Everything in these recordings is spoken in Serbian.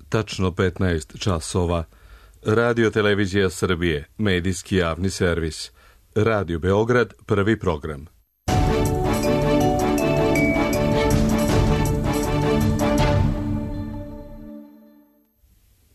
tačno 15 časova. Radio Televizija Srbije, medijski javni servis. Radio Beograd, prvi program.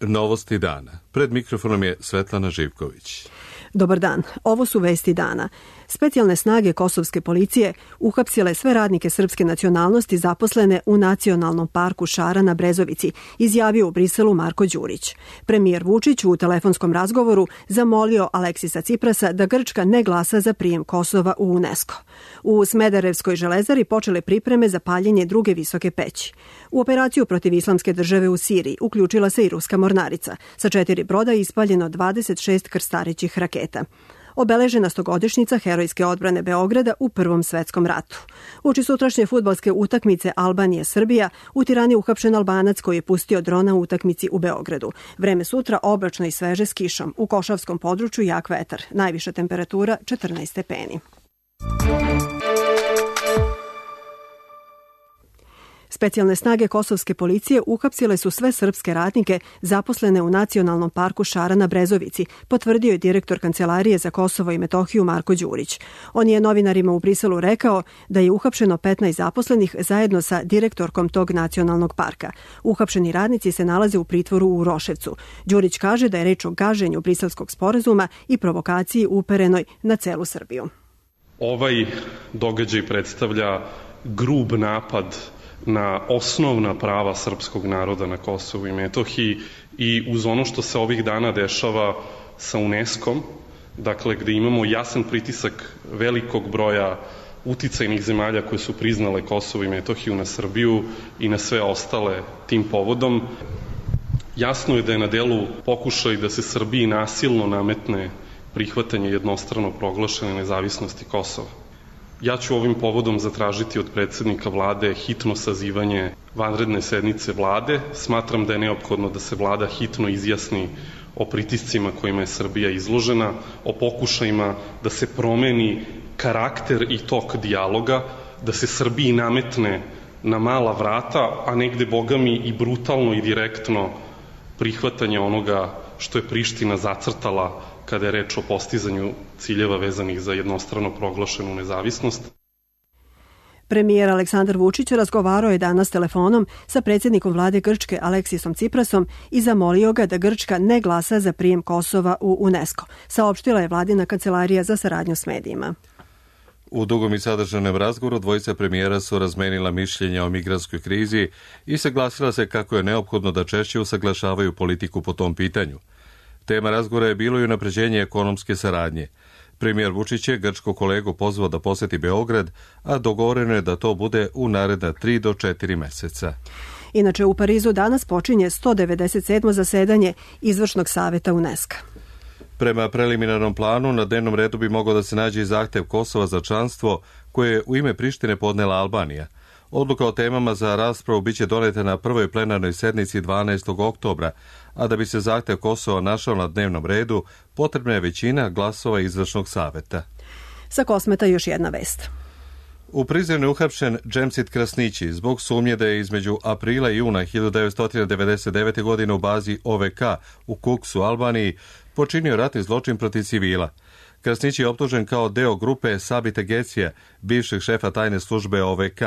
Novosti dana. Pred mikrofonom je Svetlana Živković. Dobar dan, ovo su vesti dana. Specijalne snage kosovske policije uhapsile sve radnike srpske nacionalnosti zaposlene u Nacionalnom parku Šara na Brezovici, izjavio u Briselu Marko Đurić. Premijer Vučić u telefonskom razgovoru zamolio Aleksisa Ciprasa da Grčka ne glasa za prijem Kosova u UNESCO. U Smederevskoj železari počele pripreme za paljenje druge visoke peći. U operaciju protiv Islamske države u Siriji uključila se i ruska mornarica. Sa 4 broda je ispaljeno 26 krstarećih raketa. Obeležena 100-godišnjica herojske odbrane Beograda u Prvom svetskom ratu. Uoči sutrašnje fudbalske utakmice Albanije-Srbija u Tirani uhapšen Albanac koji je pustio drona u utakmici u Beogradu. Vreme sutra oblačno i sveže s kišom. U Košavskom području jak vetar. Najviša temperatura 14 stepeni. Specijalne snage kosovske policije uhapsile su sve srpske radnike zaposlene u Nacionalnom parku Šara na Brezovici, potvrdio je direktor Kancelarije za Kosovo i Metohiju Marko Đurić. On je novinarima u Briselu rekao da je uhapšeno 15 zaposlenih zajedno sa direktorkom tog nacionalnog parka. Uhapšeni radnici se nalaze u pritvoru u Uroševcu. Đurić kaže da je reč o gaženju Briselskog sporazuma i provokaciji uperenoj na celu Srbiju. Ovaj događaj predstavlja grub napad na osnovna prava srpskog naroda na Kosovu i Metohiji i uz ono što se ovih dana dešava sa UNESCO-om, dakle gde imamo jasan pritisak velikog broja uticajnih zemalja koje su priznale Kosovo i Metohiju na Srbiju i na sve ostale tim povodom, jasno je da je na delu pokušaj da se Srbiji nasilno nametne prihvatanje jednostrano proglašene nezavisnosti Kosova. Ja ću ovim povodom zatražiti od predsednika vlade hitno sazivanje vanredne sednice vlade. Smatram da je neophodno da se vlada hitno izjasni o pritiscima kojima je Srbija izložena, o pokušajima da se promeni karakter i tok dijaloga, da se Srbiji nametne na mala vrata, a negde, bogami, i brutalno i direktno prihvatanje onoga što je Priština zacrtala kada je reč o postizanju ciljeva vezanih za jednostrano proglašenu nezavisnost. Premijer Aleksandar Vučić razgovarao je danas telefonom sa predsjednikom vlade Grčke Aleksisom Ciprasom i zamolio ga da Grčka ne glasa za prijem Kosova u UNESCO, saopštila je vladina kancelarija za saradnju s medijima. U dugom i sadržajnom razgovoru dvojica premijera su razmenila mišljenja o migrantskoj krizi i saglasila se kako je neophodno da češće usaglašavaju politiku po tom pitanju. Tema razgovora je bilo i unapređenje ekonomske saradnje. Premijer Vučić je grčkog kolegu pozvao da poseti Beograd, a dogovoreno je da to bude u naredna 3 do 4 meseca. Inače, u Parizu danas počinje 197. zasedanje Izvršnog saveta UNESCO. Prema preliminarnom planu, na dnevnom redu bi mogao da se nađe i zahtev Kosova za članstvo koje je u ime Prištine podnela Albanija. Odluka o temama za raspravu biće doneta na prvoj plenarnoj sednici 12. oktobra, a da bi se zahtev Kosova našao na dnevnom redu, potrebna je većina glasova Izvršnog saveta. Sa Kosmeta još jedna vest. U Prizrenu je uhapšen Džemsit Krasnići zbog sumnje da je između aprila i juna 1999. godine u bazi OVK u Kuksu, Albaniji, počinio ratni zločin protiv civila. Krasnići je optužen kao deo grupe Sabita Gecija, bivšeg šefa tajne službe OVK.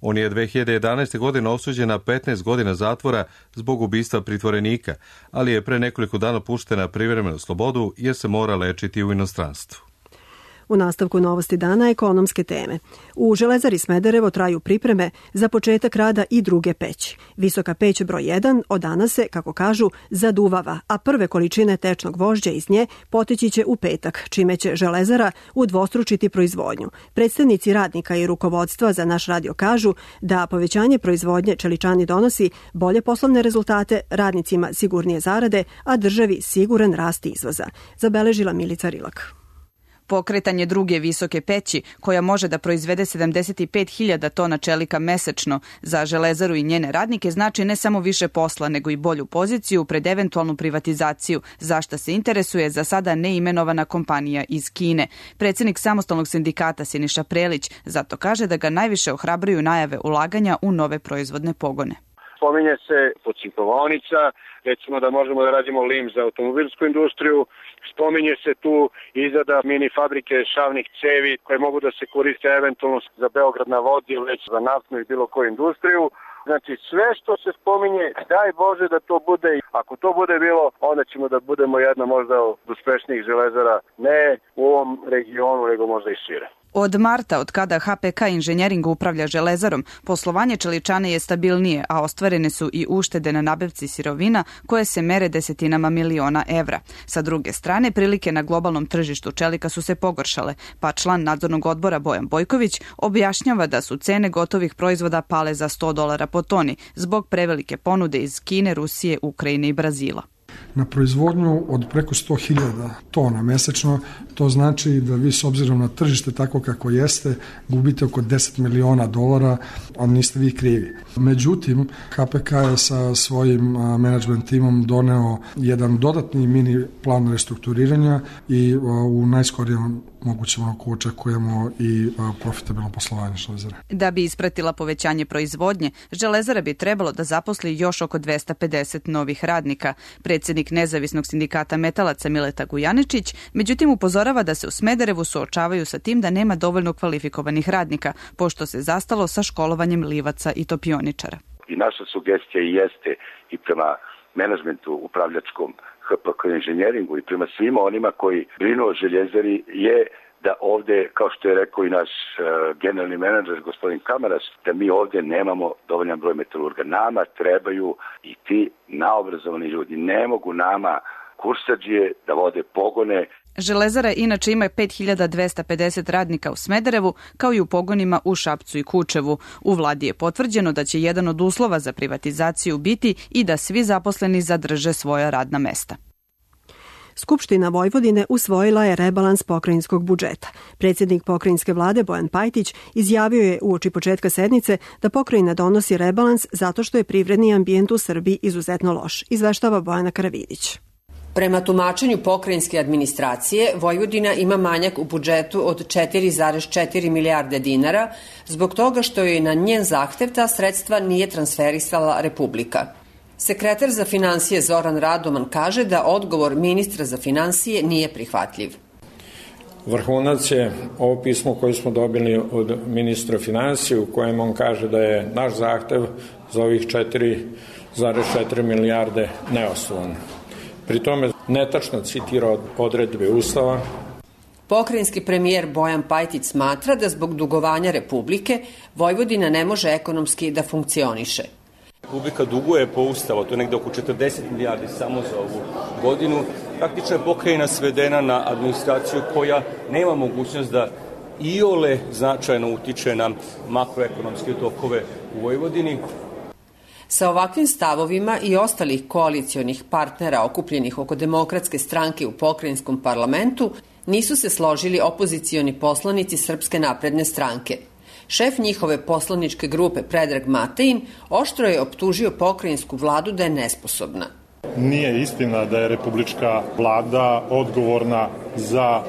On je 2011. godine osuđen na 15 godina zatvora zbog ubistva pritvorenika, ali je pre nekoliko dana pušten na privremenu slobodu jer se mora lečiti u inostranstvu. U nastavku Novosti dana ekonomske teme. U Železari Smederevo traju pripreme za početak rada i druge peći. Visoka peć broj 1 od danas se, kako kažu, zaduvava, a prve količine tečnog gvožđa iz nje poteći će u petak, čime će Železara udvostručiti proizvodnju. Predstavnici radnika i rukovodstva za naš radio kažu da povećanje proizvodnje čeličani donosi bolje poslovne rezultate, radnicima sigurnije zarade, a državi siguran rast izvoza. Zabeležila Milica Rilak. Pokretanje druge visoke peći, koja može da proizvede 75.000 tona čelika mesečno za Železaru i njene radnike, znači ne samo više posla, nego i bolju poziciju pred eventualnu privatizaciju, za šta se interesuje za sada neimenovana kompanija iz Kine. Predsednik samostalnog sindikata Siniša Prelić zato kaže da ga najviše ohrabruju najave ulaganja u nove proizvodne pogone. Spominje se pocinkovaonica, recimo da možemo da radimo lim za automobilsku industriju. Spominje se tu izrada mini fabrike šavnih cevi koje mogu da se koriste eventualno za Beograd na vodi ili već za naftnu i bilo koju industriju. Znači sve što se spominje, daj Bože da to bude. Ako to bude bilo, onda ćemo da budemo jedna možda od uspešnijih železara, ne u ovom regionu, nego možda i šire. Od marta, od kada HPK Inženjering upravlja železarom, poslovanje čeličane je stabilnije, a ostvarene su i uštede na nabavci sirovina koje se mere desetinama miliona evra. Sa druge strane, prilike na globalnom tržištu čelika su se pogoršale, pa član nadzornog odbora Bojan Bojković objašnjava da su cene gotovih proizvoda pale za $100 po toni zbog prevelike ponude iz Kine, Rusije, Ukrajine i Brazila. Na proizvodnju od preko 100.000 tona mesečno, to znači da vi s obzirom na tržište tako kako jeste, gubite oko $10 miliona, a niste vi krivi. Međutim, HPK je sa svojim menadžment timom doneo jedan dodatni mini plan restrukturiranja i u najskorijem mogućem roku očekujemo i profitabilno poslovanje železare. Da bi ispratila povećanje proizvodnje, železara bi trebalo da zaposli još oko 250 novih radnika. Predsjednik Nezavisnog sindikata metalaca Mileta Gujaničić, međutim upozorava da se u Smederevu suočavaju sa tim da nema dovoljno kvalifikovanih radnika, pošto se zastalo sa školovanjem livaca i topioničara. I naša sugestija jeste i prema menadžmentu upravljačkom HPK Inženjeringu i prema svima onima koji brinu o željezari je da ovde, kao što je rekao i naš generalni menadžer gospodin Kamaraš, da mi ovde nemamo dovoljan broj metalurga. Nama trebaju i ti naobrazovani ljudi. Ne mogu nama kursadžije da vode pogone. Železara inače ima 5250 radnika u Smederevu, kao i u pogonima u Šapcu i Kučevu. U vladi je potvrđeno da će jedan od uslova za privatizaciju biti i da svi zaposleni zadrže svoja radna mesta. Skupština Vojvodine usvojila je rebalans pokrajinskog budžeta. Predsjednik pokrajinske vlade Bojan Pajtić izjavio je uoči početka sednice da pokrajina donosi rebalans zato što je privredni ambijent u Srbiji izuzetno loš, izveštava Bojana Karavidić. Prema tumačenju pokrajinske administracije, Vojvodina ima manjak u budžetu od 4,4 milijarde dinara zbog toga što joj na njen zahtev ta sredstva nije transferisala Republika. Sekretar za finansije Zoran Radoman kaže da odgovor ministra za finansije nije prihvatljiv. Vrhunac je ovo pismo koje smo dobili od ministra finansije u kojem on kaže da je naš zahtev za ovih 4,4 milijarde neosnovan. Pri tome netačno citira odredbe Ustava. Pokrajinski premijer Bojan Pajtić smatra da zbog dugovanja Republike Vojvodina ne može ekonomski da funkcioniše. Republika duguje po Ustavu, to je negde oko 40 milijardi samo za ovu godinu. Praktično je pokrajina svedena na administraciju koja nema mogućnost da iole značajno utiče na makroekonomske tokove u Vojvodini. Sa ovakvim stavovima i ostalih koalicionih partnera okupljenih oko Demokratske stranke u pokrajinskom parlamentu nisu se složili opozicioni poslanici Srpske napredne stranke. Šef njihove poslaničke grupe Predrag Matejin oštro je optužio pokrajinsku vladu da je nesposobna. Nije istina da je republička vlada odgovorna za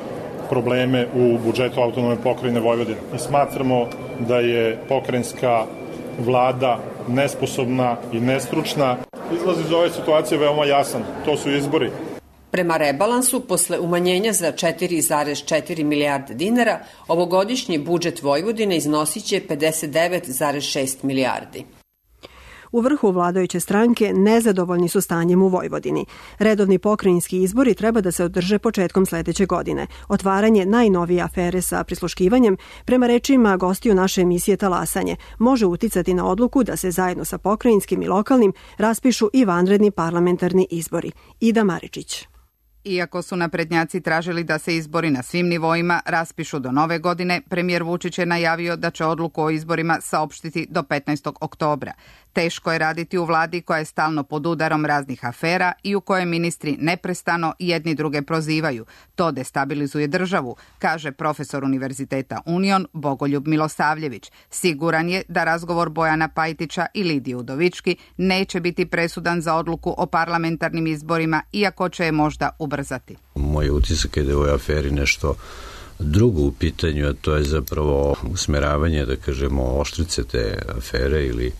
probleme u budžetu autonomne pokrajine Vojvodine. Mi smatramo da je pokrajinska vlada nesposobna i nestručna. Izlaz iz ove situacije veoma jasan, to su izbori. Prema rebalansu, posle umanjenja za 4,4 milijarde dinara, ovogodišnji budžet Vojvodine iznosiće 59,6 milijardi. U vrhu vladajuće stranke nezadovoljni su stanjem u Vojvodini. Redovni pokrajinski izbori treba da se održe početkom sledeće godine. Otvaranje najnovije afere sa prisluškivanjem, prema rečima gostiju naše emisije Talasanje, može uticati na odluku da se zajedno sa pokrajinskim i lokalnim raspišu i vanredni parlamentarni izbori. Ida Maričić. Iako su naprednjaci tražili da se izbori na svim nivoima raspišu do nove godine, premijer Vučić je najavio da će odluku o izborima saopštiti do 15. oktobra. Teško je raditi u vladi koja je stalno pod udarom raznih afera i u kojoj ministri neprestano jedni druge prozivaju. To destabilizuje državu, kaže profesor Univerziteta Union Bogoljub Milosavljević. Siguran je da razgovor Bojana Pajtića i Lidije Udovički neće biti presudan za odluku o parlamentarnim izborima, iako će je možda ubrzati. Moj utisak je da je u ovoj aferi nešto drugo u pitanju, a to je zapravo usmeravanje, da kažemo, oštrice te afere ili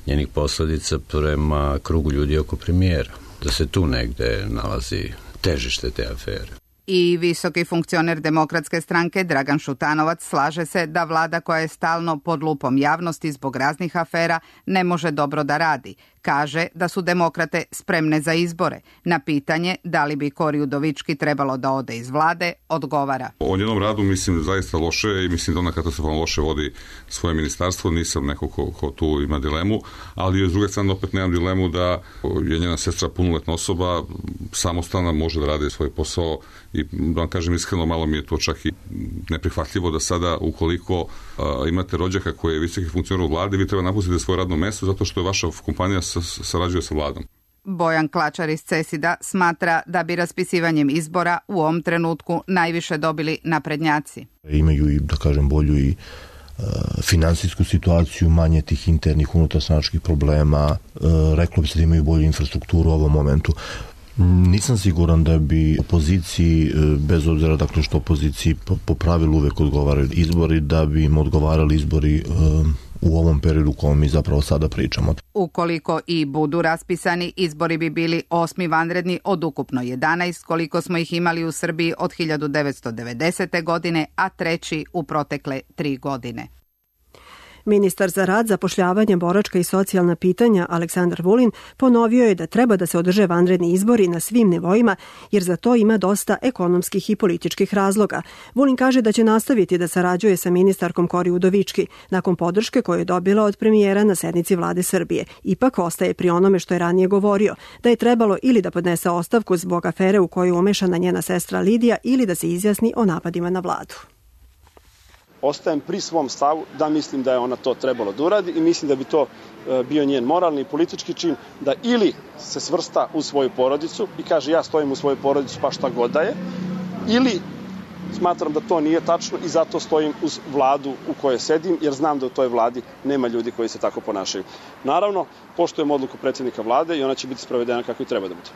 njenih posledica prema krugu ljudi oko premijera. Da se tu negde nalazi težište te afere. I visoki funkcioner Demokratske stranke Dragan Šutanovac slaže se da vlada koja je stalno pod lupom javnosti zbog raznih afera ne može dobro da radi. Kaže da su demokrate spremne za izbore. Na pitanje da li bi Kori Udovički trebalo da ode iz vlade, odgovara. O njenom radu mislim zaista loše i mislim da ona katastrofalno loše vodi svoje ministarstvo. Nisam neko ko tu ima dilemu, ali s druge strane opet nemam dilemu da je njena sestra punoletna osoba, samostalna, može da radi svoj posao i da vam kažem iskreno, malo mi je to čak i neprihvatljivo da sada ukoliko imate rođaka koji je visoki funkcioner u vladi, vi treba napustiti svoje radno mesto zato što je vaša kompanija sarađuje sa vladom. Bojan Klačar iz CESID-a smatra da bi raspisivanjem izbora u ovom trenutku najviše dobili naprednjaci. Imaju i, da kažem, bolju i finansijsku situaciju, manje tih internih unutarstranačkih problema, reklo bi se da imaju bolju infrastrukturu u ovom momentu. Nisam siguran da bi opoziciji, bez obzira dakle što opoziciji po pravilu uvek odgovaraju izbori, da bi im odgovarali izbori u ovom periodu u kojem mi zapravo sada pričamo. Ukoliko i budu raspisani, izbori bi bili 8. vanredni od ukupno 11, koliko smo ih imali u Srbiji od 1990. godine, a 3. u protekle 3 godine. Ministar za rad, zapošljavanje, boračka i socijalna pitanja Aleksandar Vulin ponovio je da treba da se održe vanredni izbori na svim nivoima, jer za to ima dosta ekonomskih i političkih razloga. Vulin kaže da će nastaviti da sarađuje sa ministarkom Kori Udovički nakon podrške koju je dobila od premijera na sednici vlade Srbije. Ipak ostaje pri onome što je ranije govorio, da je trebalo ili da podnese ostavku zbog afere u koju je umešana njena sestra Lidija ili da se izjasni o napadima na vladu. Ostajem pri svom stavu da mislim da je ona to trebalo da uradi i mislim da bi to bio njen moralni i politički čin, da ili se svrsta u svoju porodicu i kaže ja stojim u svoju porodicu pa šta god da je, ili smatram da to nije tačno i zato stojim uz vladu u kojoj sedim, jer znam da u toj vladi nema ljudi koji se tako ponašaju. Naravno, poštujem odluku predsjednika vlade i ona će biti sprovedena kako i treba da bude.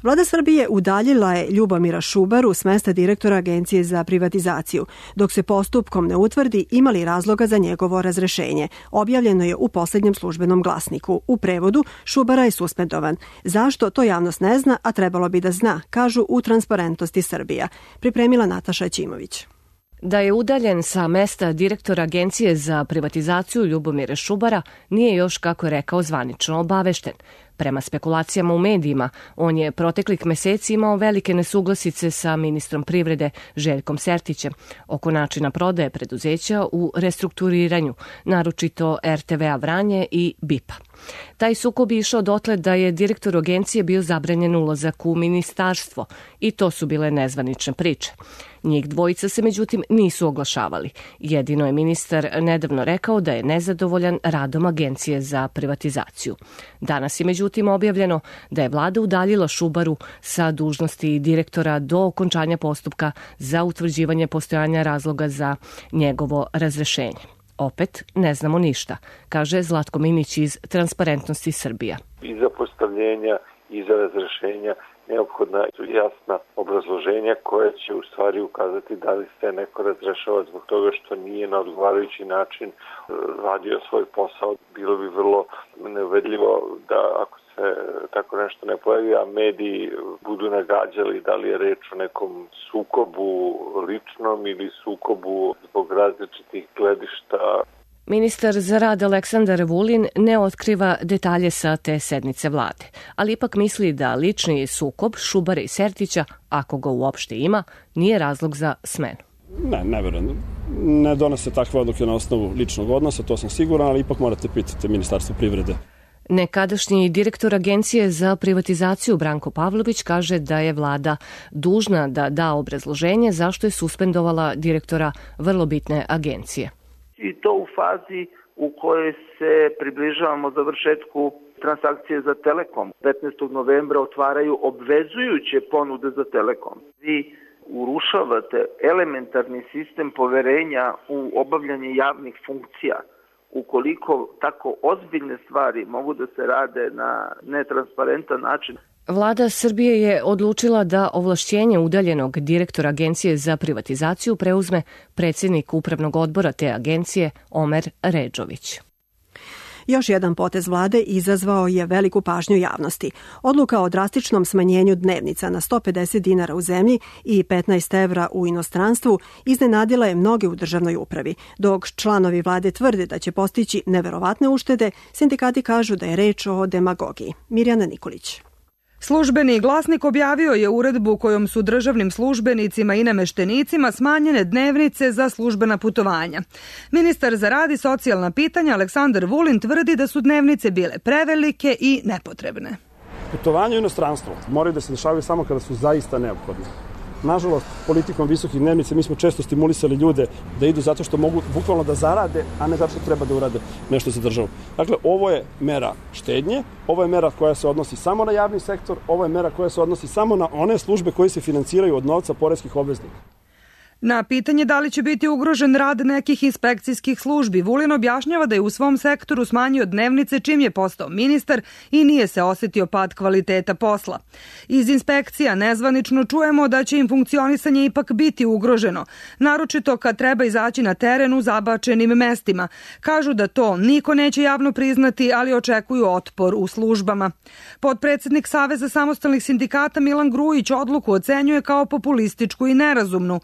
Vlada Srbije udaljila je Ljubomira Šubaru s mesta direktora Agencije za privatizaciju, dok se postupkom ne utvrdi ima li razloga za njegovo razrešenje. Objavljeno je u poslednjem službenom glasniku. U prevodu, Šubara je suspendovan. Zašto, to javnost ne zna, a trebalo bi da zna, kažu u Transparentnosti Srbija. Pripremila Nataša Ćimović. Da je udaljen sa mesta direktora Agencije za privatizaciju Ljubomira Šubara nije još, kako je rekao, zvanično obavešten. Prema spekulacijama u medijima, on je proteklih meseci imao velike nesuglasice sa ministrom privrede Željkom Sertićem oko načina prodaje preduzeća u restrukturiranju, naročito RTV-a Vranje i BIP-a. Taj sukob je išao dotle da je direktor agencije bio zabranjen ulazak u ministarstvo i to su bile nezvanične priče. Njih dvojica se međutim nisu oglašavali. Jedino je ministar nedavno rekao da je nezadovoljan radom Agencije za privatizaciju. Danas je međutim objavljeno da je vlada udaljila Šubaru sa dužnosti direktora do okončanja postupka za utvrđivanje postojanja razloga za njegovo razrešenje. Opet ne znamo ništa, kaže Zlatko Minić iz Transparentnosti Srbija. I za postavljenja i za razrešenja neophodna su jasna obrazloženja koja će u stvari ukazati da li se neko razrešava zbog toga što nije na odgovarajući način radio svoj posao. Bilo bi vrlo neuvedljivo da ako se tako nešto ne pojavi, a mediji budu nagađali da li je reč o nekom sukobu ličnom ili sukobu zbog različitih gledišta. Ministar za rad Aleksandar Vulin ne otkriva detalje sa te sednice vlade, ali ipak misli da lični sukob Šubara i Sertića, ako ga uopšte ima, nije razlog za smenu. Ne verujem. Ne donose takve odluke na osnovu ličnog odnosa, to sam siguran, ali ipak morate pitati Ministarstvo privrede. Nekadašnji direktor Agencije za privatizaciju Branko Pavlović kaže da je vlada dužna da da obrazloženje zašto je suspendovala direktora vrlo bitne agencije. I to u fazi u kojoj se približavamo završetku transakcije za Telekom. 15. novembra otvaraju obvezujuće ponude za Telekom. Vi urušavate elementarni sistem poverenja u obavljanje javnih funkcija. Ukoliko tako ozbiljne stvari mogu da se rade na netransparentan način. Vlada Srbije je odlučila da ovlašćenje udaljenog direktora Agencije za privatizaciju preuzme predsjednik upravnog odbora te agencije Omer Redžović. Još jedan potez vlade izazvao je veliku pažnju javnosti. Odluka o drastičnom smanjenju dnevnica na 150 dinara u zemlji i 15 evra u inostranstvu iznenadila je mnoge u državnoj upravi. Dok članovi vlade tvrde da će postići neverovatne uštede, sindikati kažu da je reč o demagogiji. Mirjana Nikolić. Službeni glasnik objavio je uredbu kojom su državnim službenicima i nameštenicima smanjene dnevnice za službena putovanja. Ministar za rad i socijalna pitanja Aleksandar Vulin tvrdi da su dnevnice bile prevelike i nepotrebne. Putovanje u inostranstvo moraju da se dešavaju samo kada su zaista neophodne. Nažalost, politikom visokih dnevnica mi smo često stimulisali ljude da idu zato što mogu bukvalno da zarade, a ne zato što treba da urade nešto za državu. Dakle, ovo je mera štednje, ovo je mera koja se odnosi samo na javni sektor, ovo je mera koja se odnosi samo na one službe koje se financiraju od novca poreskih obveznika. Na pitanje da li će biti ugrožen rad nekih inspekcijskih službi, Vulin objašnjava da je u svom sektoru smanjio dnevnice čim je postao ministar i nije se osjetio pad kvaliteta posla. Iz inspekcija nezvanično čujemo da će im funkcionisanje ipak biti ugroženo, naročito kad treba izaći na teren u zabačenim mestima. Kažu da to niko neće javno priznati, ali očekuju otpor u službama. Potpredsednik Saveza samostalnih sindikata Milan Grujić odluku ocenjuje kao populističku i nerazumnu.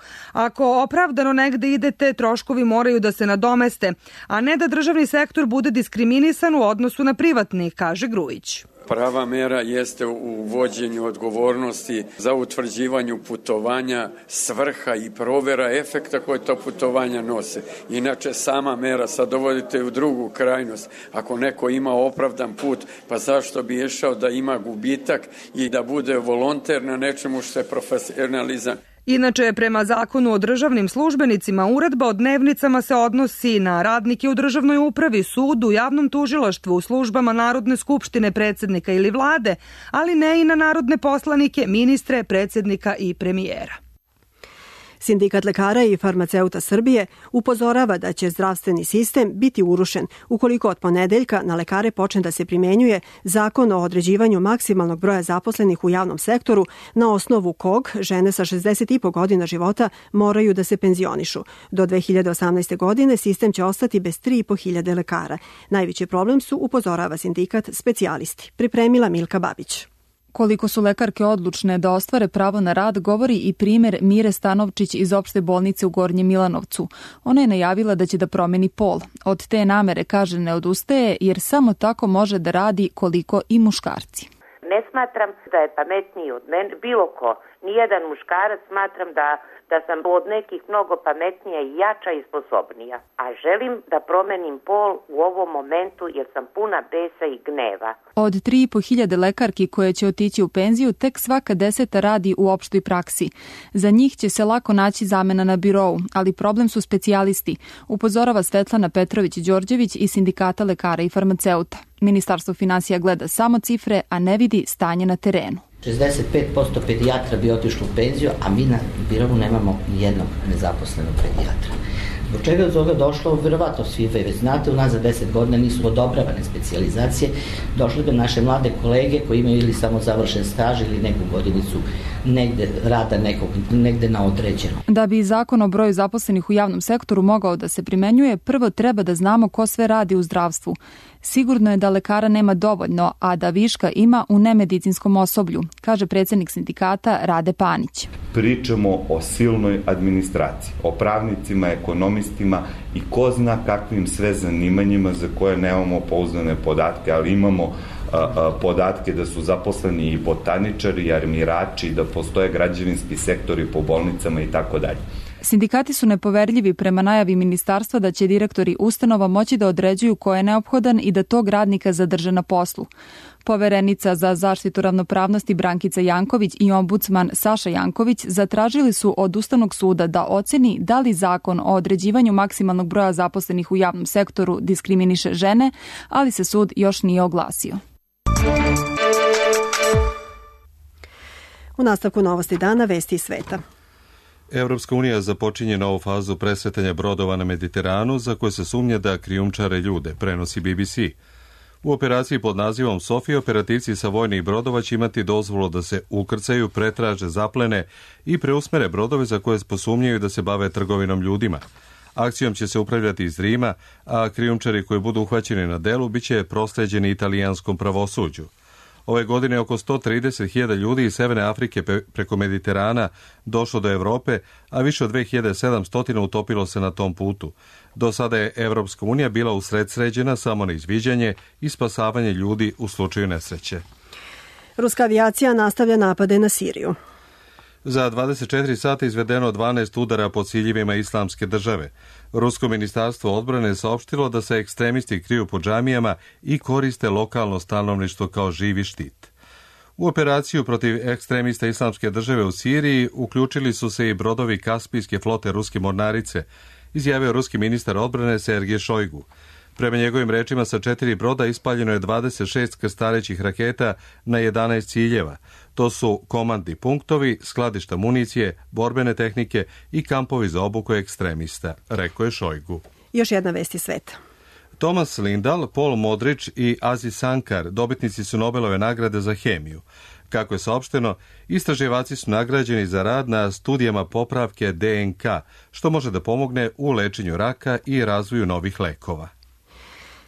Ako opravdano negde idete, troškovi moraju da se nadomeste, a ne da državni sektor bude diskriminisan u odnosu na privatni, kaže Grujić. Prava mera jeste u uvođenju odgovornosti za utvrđivanju putovanja, svrha i provera efekta koje to putovanja nose. Inače, sama mera sad dovodite u drugu krajnost. Ako neko ima opravdan put, pa zašto bi išao da ima gubitak i da bude volonter na nečemu što je profesionalizam? Inače, prema zakonu o državnim službenicima, uredba o dnevnicama se odnosi na radnike u državnoj upravi, sudu, javnom tužilaštvu, u službama Narodne skupštine, predsjednika ili vlade, ali ne i na narodne poslanike, ministre, predsjednika i premijera. Sindikat lekara i farmaceuta Srbije upozorava da će zdravstveni sistem biti urušen ukoliko od ponedeljka na lekare počne da se primenjuje zakon o određivanju maksimalnog broja zaposlenih u javnom sektoru na osnovu kog žene sa 60,5 godina života moraju da se penzionišu. Do 2018. godine sistem će ostati bez 3.500 lekara. Najveći problem su, upozorava sindikat, specijalisti. Pripremila Milka Babić. Koliko su lekarke odlučne da ostvare pravo na rad, govori i primer Mire Stanovčić iz opšte bolnice u Gornjem Milanovcu. Ona je najavila da će da promeni pol. Od te namere, kaže, ne odustaje jer samo tako može da radi koliko i muškarci. Ne smatram da je pametniji od mene bilo ko. Nijedan muškarac smatram da sam od nekih mnogo pametnija i jača i sposobnija. A želim da promenim pol u ovom momentu jer sam puna besa i gneva. Od 3.500 lekarki koje će otići u penziju, tek svaka 10 radi u opštoj praksi. Za njih će se lako naći zamena na birou, ali problem su specijalisti, upozorava Svetlana Petrović-Đorđević iz Sindikata lekara i farmaceuta. Ministarstvo finansija gleda samo cifre, a ne vidi stanje na terenu. 65% pedijatra bi otišlo u penziju, a mi na birovu nemamo nijednog nezaposlenog pedijatra. Zbog čega je toga došlo, verovatno svi već znate, u nas za 10 godina nisu odobravane specijalizacije, došle bi naše mlade kolege koji imaju ili samo završen staž ili neku godinicu negde rada negde na određeno. Da bi zakon o broju zaposlenih u javnom sektoru mogao da se primenjuje, prvo treba da znamo ko sve radi u zdravstvu. Sigurno je da lekara nema dovoljno, a da viška ima u nemedicinskom osoblju, kaže predsjednik sindikata Rade Panić. Pričamo o silnoj administraciji, o pravnicima, ekonomistima i ko zna kakvim sve zanimanjima za koje nemamo pouzdane podatke, ali imamo podatke da su zaposleni i botaničari, i armirači, da postoje građevinski sektori po bolnicama i tako dalje. Sindikati su nepoverljivi prema najavi ministarstva da će direktori ustanova moći da određuju ko je neophodan i da tog radnika zadrže na poslu. Poverenica za zaštitu ravnopravnosti Brankica Janković i ombudsman Saša Janković zatražili su od Ustavnog suda da oceni da li zakon o određivanju maksimalnog broja zaposlenih u javnom sektoru diskriminiše žene, ali se sud još nije oglasio. U nastavku Novosti dana, vesti iz sveta. Evropska unija započinje novu fazu presretanja brodova na Mediteranu za koje se sumnja da krijumčare ljude, prenosi BBC. U operaciji pod nazivom Sofija operativci sa vojnih brodova će imati dozvolu da se ukrcaju, pretraže, zaplene i preusmere brodove za koje posumnjaju da se bave trgovinom ljudima. Akcijom će se upravljati iz Rima, a krijumčari koji budu uhvaćeni na delu biće prosleđeni italijanskom pravosuđu. Ove godine oko 130.000 ljudi iz Severne Afrike preko Mediterana došlo do Evrope, a više od 2700 utopilo se na tom putu. Do sada je Evropska unija bila usredsređena samo na izviđanje i spasavanje ljudi u slučaju nesreće. Ruska avijacija nastavlja napade na Siriju. Za 24 sata izvedeno 12 udara po ciljevima Islamske države. Rusko ministarstvo odbrane saopštilo da se ekstremisti kriju po džamijama i koriste lokalno stanovništvo kao živi štit. U operaciju protiv ekstremista Islamske države u Siriji uključili su se i brodovi Kaspijske flote ruske mornarice, izjavio ruski ministar odbrane Sergej Šojgu. Prema njegovim rečima, sa 4 broda ispaljeno je 26 krstarećih raketa na 11 ciljeva. To su komandni punktovi, skladišta municije, borbene tehnike i kampovi za obuku ekstremista, rekao je Šojgu. Još jedna vest iz sveta. Thomas Lindahl, Paul Modrić i Aziz Sankar dobitnici su Nobelove nagrade za hemiju. Kako je saopšteno, istraživači su nagrađeni za rad na studijama popravke DNK, što može da pomogne u lečenju raka i razvoju novih lekova.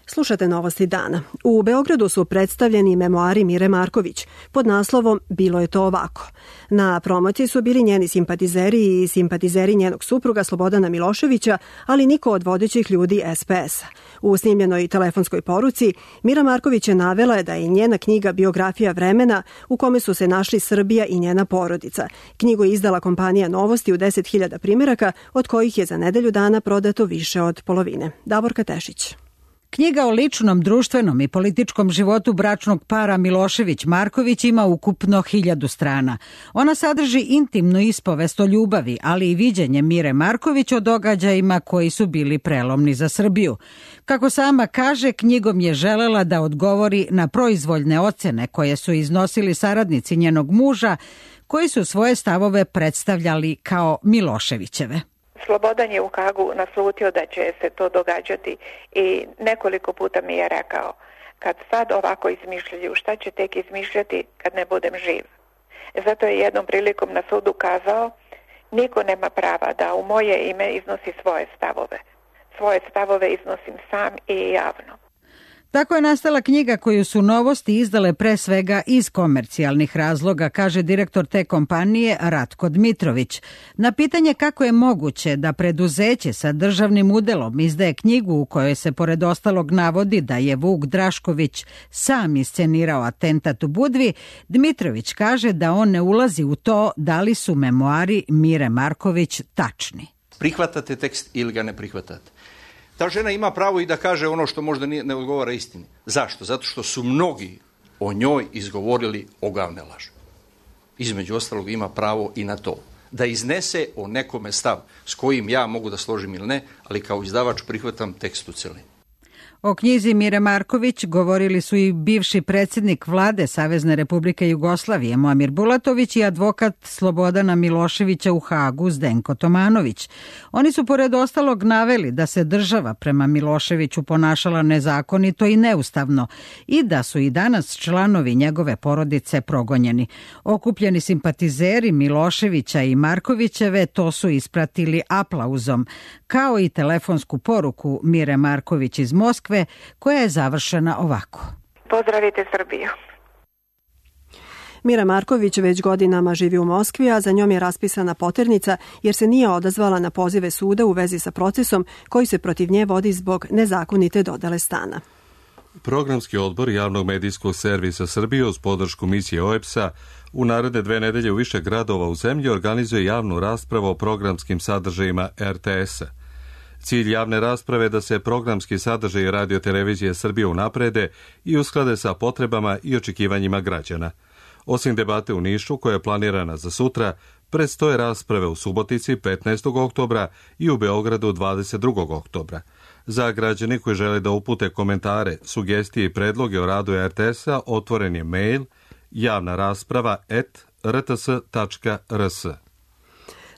Slušate novosti dana. U Beogradu su predstavljeni memoari Mire Marković pod naslovom Bilo je to ovako. Na promociji su bili njeni simpatizeri i simpatizeri njenog supruga Slobodana Miloševića, ali niko od vodećih ljudi SPS-a. U snimljenoj telefonskoj poruci Mira Marković je navela da je njena knjiga biografija vremena u kome su se našli Srbija i njena porodica. Knjigu je izdala kompanija Novosti u 10.000 primjeraka, od kojih je za nedelju dana prodato više od polovine. Davorka Tešić. Knjiga o ličnom, društvenom i političkom životu bračnog para Milošević-Marković ima ukupno 1000 strana. Ona sadrži intimnu ispovest o ljubavi, ali i viđenje Mire Marković o događajima koji su bili prelomni za Srbiju. Kako sama kaže, knjigom je želela da odgovori na proizvoljne ocene koje su iznosili saradnici njenog muža, koji su svoje stavove predstavljali kao Miloševićeve. Slobodan je u Hagu naslutio da će se to događati i nekoliko puta mi je rekao, kad sad ovako izmišljaju, šta će tek izmišljati kad ne budem živ. Zato je jednom prilikom na sudu kazao, niko nema prava da u moje ime iznosi svoje stavove. Svoje stavove iznosim sam i javno. Tako je nastala knjiga koju su Novosti izdale pre svega iz komercijalnih razloga, kaže direktor te kompanije Ratko Dmitrović. Na pitanje kako je moguće da preduzeće sa državnim udelom izdaje knjigu u kojoj se pored ostalog navodi da je Vuk Drašković sam iscenirao atentat u Budvi, Dmitrović kaže da on ne ulazi u to da li su memoari Mire Marković tačni. Prihvatate tekst ili ga ne prihvatate. Ta žena ima pravo i da kaže ono što možda ne odgovara istini. Zašto? Zato što su mnogi o njoj izgovorili ogavne laži. Između ostalog ima pravo i na to. Da iznese o nekome stav s kojim ja mogu da složim ili ne, ali kao izdavač prihvatam tekst u celini. O knjizi Mire Marković govorili su i bivši predsjednik vlade Savezne Republike Jugoslavije Muamir Bulatović i advokat Slobodana Miloševića u Hagu Zdenko Tomanović. Oni su pored ostalog naveli da se država prema Miloševiću ponašala nezakonito i neustavno i da su i danas članovi njegove porodice progonjeni. Okupljeni simpatizeri Miloševića i Markovićeve to su ispratili aplauzom, kao i telefonsku poruku Mire Marković iz Moskve, koja je završena ovako. Pozdravite Srbiju. Mira Marković već godinama živi u Moskvi, a za njom je raspisana poternica jer se nije odazvala na pozive suda u vezi sa procesom koji se protiv nje vodi zbog nezakonite dodele stana. Programski odbor javnog medijskog servisa Srbije uz podršku misije OEBS-a u naredne 2 nedelje u više gradova u zemlji organizuje javnu raspravu o programskim sadržajima RTS-a. Cilj javne rasprave je da se programski sadržaji Radio-televizije Srbije unaprede i usklade sa potrebama i očekivanjima građana. Osim debate u Nišu, koja je planirana za sutra, predstoje rasprave u Subotici 15. oktobra i u Beogradu 22. oktobra. Za građane koji žele da upute komentare, sugestije i predloge o radu RTS-a otvoren je mail javnarasprava@rts.rs.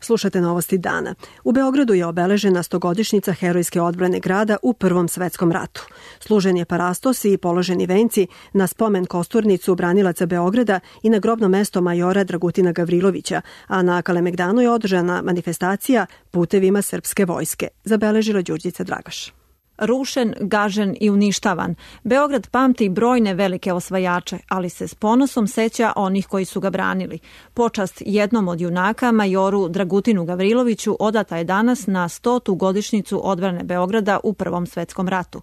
Slušate novosti dana. U Beogradu je obeležena 100-godišnjica herojske odbrane grada u Prvom svetskom ratu. Služen je parastos i položeni venci na spomen kosturnicu branilaca Beograda i na grobno mesto majora Dragutina Gavrilovića, a na Kalemegdanu je održana manifestacija putevima srpske vojske, zabeležila Đurđica Dragaš. Rušen, gažen i uništavan, Beograd pamti brojne velike osvajače, ali se s ponosom seća onih koji su ga branili. Počast jednom od junaka, majoru Dragutinu Gavriloviću, odata je danas na 100. godišnjicu odbrane Beograda u Prvom svetskom ratu.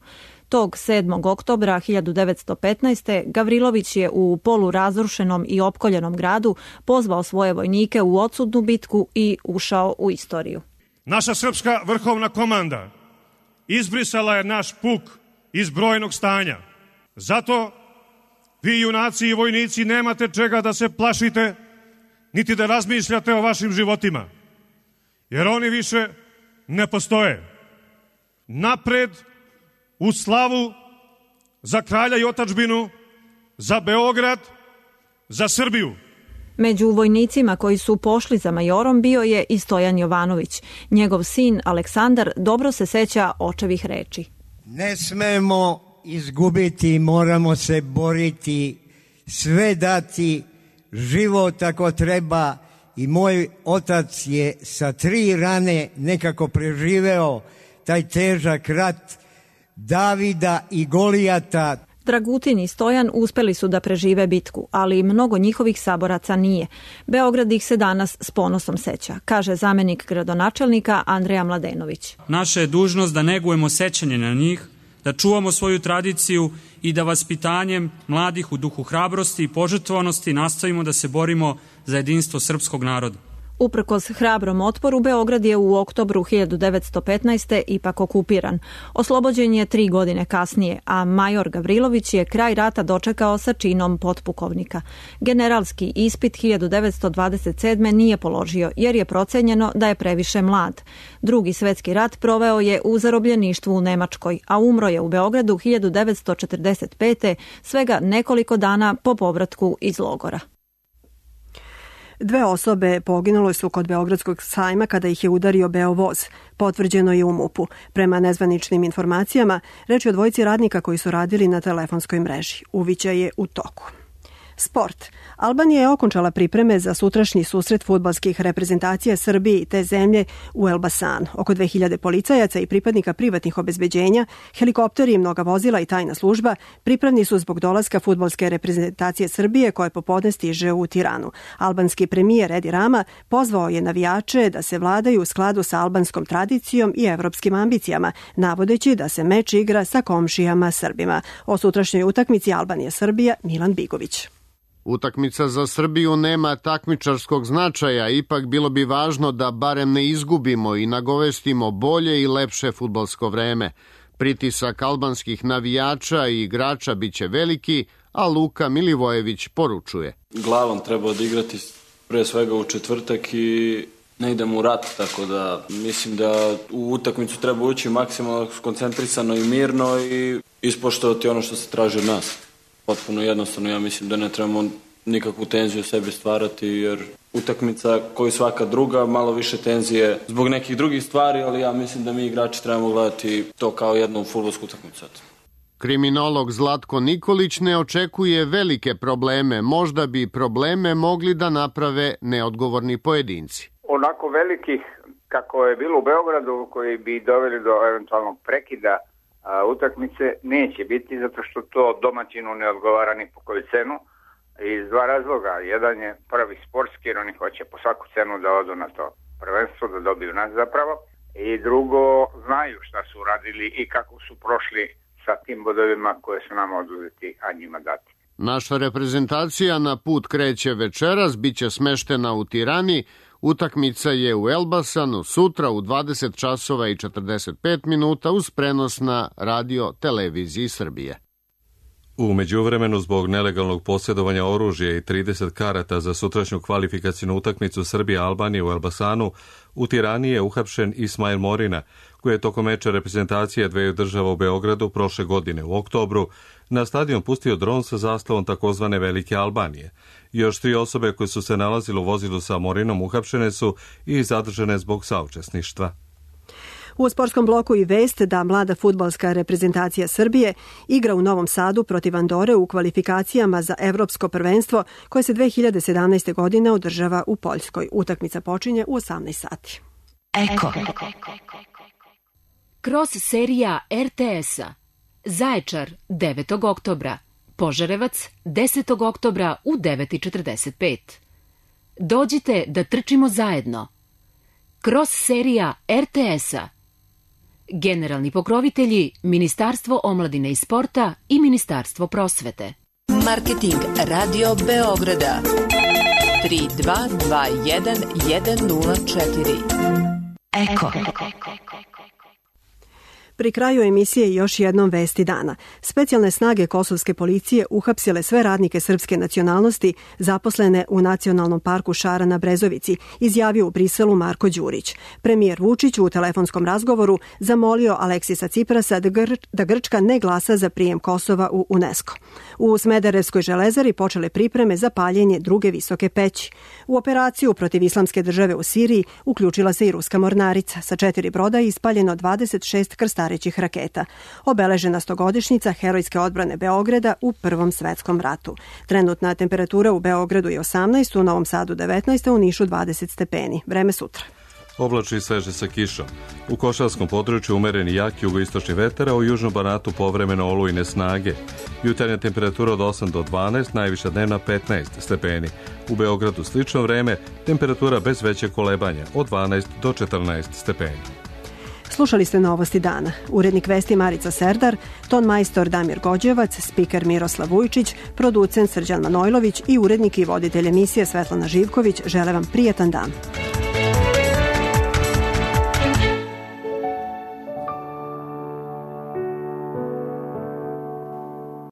Tog 7. oktobra 1915. Gavrilović je u polurazrušenom i opkoljenom gradu pozvao svoje vojnike u odsudnu bitku i ušao u istoriju. Naša srpska vrhovna komanda izbrisala je naš puk iz brojnog stanja. Zato vi, junaci i vojnici, nemate čega da se plašite, niti da razmišljate o vašim životima, jer oni više ne postoje. Napred, u slavu, za kralja i otadžbinu, za Beograd, za Srbiju. Među vojnicima koji su pošli za majorom bio je i Stojan Jovanović. Njegov sin Aleksandar dobro se seća očevih reči. Ne smemo izgubiti, moramo se boriti, sve dati, život ako treba. I moj otac je sa 3 rane nekako preživeo taj težak rat Davida i Golijata. Dragutin i Stojan uspeli su da prežive bitku, ali mnogo njihovih saboraca nije. Beograd ih se danas s ponosom seća, kaže zamenik gradonačelnika Andreja Mladenović. Naša je dužnost da negujemo sećanje na njih, da čuvamo svoju tradiciju i da vaspitanjem mladih u duhu hrabrosti i požrtvovanosti nastavimo da se borimo za jedinstvo srpskog naroda. Uprkos hrabrom otporu, Beograd je u oktobru 1915. ipak okupiran. Oslobođen je 3 godine kasnije, a major Gavrilović je kraj rata dočekao sa činom potpukovnika. Generalski ispit 1927. nije položio, jer je procenjeno da je previše mlad. Drugi svetski rat proveo je u zarobljeništvu u Nemačkoj, a umro je u Beogradu 1945. svega nekoliko dana po povratku iz logora. 2 osobe poginule su kod Beogradskog sajma kada ih je udario Beovoz. Potvrđeno je u MUP-u. Prema nezvaničnim informacijama, reč je o 2 radnika koji su radili na telefonskoj mreži. Uviđaj je u toku. Sport. Albanija je okončala pripreme za sutrašnji susret fudbalskih reprezentacija Srbije i te zemlje u Elbasanu. Oko 2000 policajaca i pripadnika privatnih obezbeđenja, helikopteri, mnoga vozila i tajna služba pripravni su zbog dolaska fudbalske reprezentacije Srbije koje popodne stiže u Tiranu. Albanski premijer Edi Rama pozvao je navijače da se vladaju u skladu sa albanskom tradicijom i evropskim ambicijama, navodeći da se meč igra sa komšijama Srbima. O sutrašnjoj utakmici Albanija-Srbija Milan Bigović. Utakmica za Srbiju nema takmičarskog značaja, ipak bilo bi važno da barem ne izgubimo i nagovestimo bolje i lepše fudbalsko vreme. Pritisak albanskih navijača i igrača biće veliki, a Luka Milivojević poručuje. Glavom treba odigrati pre svega u četvrtak i ne idemo u rat, tako da mislim da u utakmicu treba ući maksimalno skoncentrisano i mirno i ispoštovati ono što se traži od nas. Potpuno jednostavno, ja mislim da ne trebamo nikakvu tenziju sebi stvarati, jer utakmica koji svaka druga, malo više tenzije zbog nekih drugih stvari, ali ja mislim da mi igrači trebamo gledati to kao jednu fudbalsku utakmicu. Kriminolog Zlatko Nikolić ne očekuje velike probleme, možda bi probleme mogli da naprave neodgovorni pojedinci. Onako velikih, kako je bilo u Beogradu, koji bi doveli do eventualnog prekida utakmice, neće biti, zato što to domaćinu ne odgovara ni po koju cenu, iz 2 razloga. Jedan je prvi sportski, jer oni hoće po svaku cenu da odu na to prvenstvo, da dobiju nas zapravo, i drugo, znaju šta su uradili i kako su prošli sa tim bodovima koje su nam oduzeti, a njima dati. Naša reprezentacija na put kreće večeras, biće smeštena u Tirani. Utakmica je u Elbasanu sutra u 20 časova i 45 minuta uz prenos na radio televiziji Srbije. U međuvremenu, zbog nelegalnog posjedovanja oružja i 30 karata za sutrašnju kvalifikacijnu utakmicu Srbije-Albanije u Elbasanu, u Tirani je uhapšen Ismail Morina, koji je tokom meča reprezentacije dveju država u Beogradu prošle godine u oktobru na stadion pustio dron sa zastavom takozvane Velike Albanije. Još 3 osobe koje su se nalazile u vozilu sa Morinom uhapšene su i zadržane zbog saučesništva. U sportskom bloku i vest da mlada fudbalska reprezentacija Srbije igra u Novom Sadu protiv Andore u kvalifikacijama za Evropsko prvenstvo koje se 2017. godine održava u Poljskoj. Utakmica počinje u 18 sati. Eko. Kroz serija RTS-a. Zaječar 9. oktobra. Požarevac 10. oktobra u 9:45. Dođite da trčimo zajedno. Kroz serija RTS-a. Generalni pokrovitelji Ministarstvo omladine i sporta i Ministarstvo prosvete. Marketing Radio Beograda 3221 104. Eko. Pri kraju emisije još jednom vesti dana. Specijalne snage kosovske policije uhapsile sve radnike srpske nacionalnosti zaposlene u Nacionalnom parku Šara na Brezovici, izjavio u Briselu Marko Đurić. Premijer Vučić u telefonskom razgovoru zamolio Aleksisa Ciprasa da Grčka ne glasa za prijem Kosova u UNESCO. U Smederevskoj železari počele pripreme za paljenje druge visoke peći. U operaciju protiv Islamske države u Siriji uključila se i ruska mornarica. Sa 4 broda je ispaljeno 26 krstarećih raketa. Obeležena 100-godišnjica herojske odbrane Beograda u Prvom svetskom ratu. Trenutna temperatura u Beogradu je 18, u Novom Sadu 19, a u Nišu 20 stepeni. Vreme sutra. Oblačno i sveže sa kišom. U Košarskom području umereni jak jugoistočni vetar, a u južnom Banatu povremeno olujne snage. Jutarnja temperatura od 8 do 12, najviša dnevna 15 stepeni. U Beogradu slično vreme, temperatura bez većeg kolebanja od 12 do 14 stepeni. Slušali ste Novosti dana. Urednik vesti Marica Serdar, ton majstor Damir Gođevac, spiker Miroslav Vujčić, producent Srđan Manojlović i urednik i voditelj emisije Svetlana Živković žele vam prijatan dan.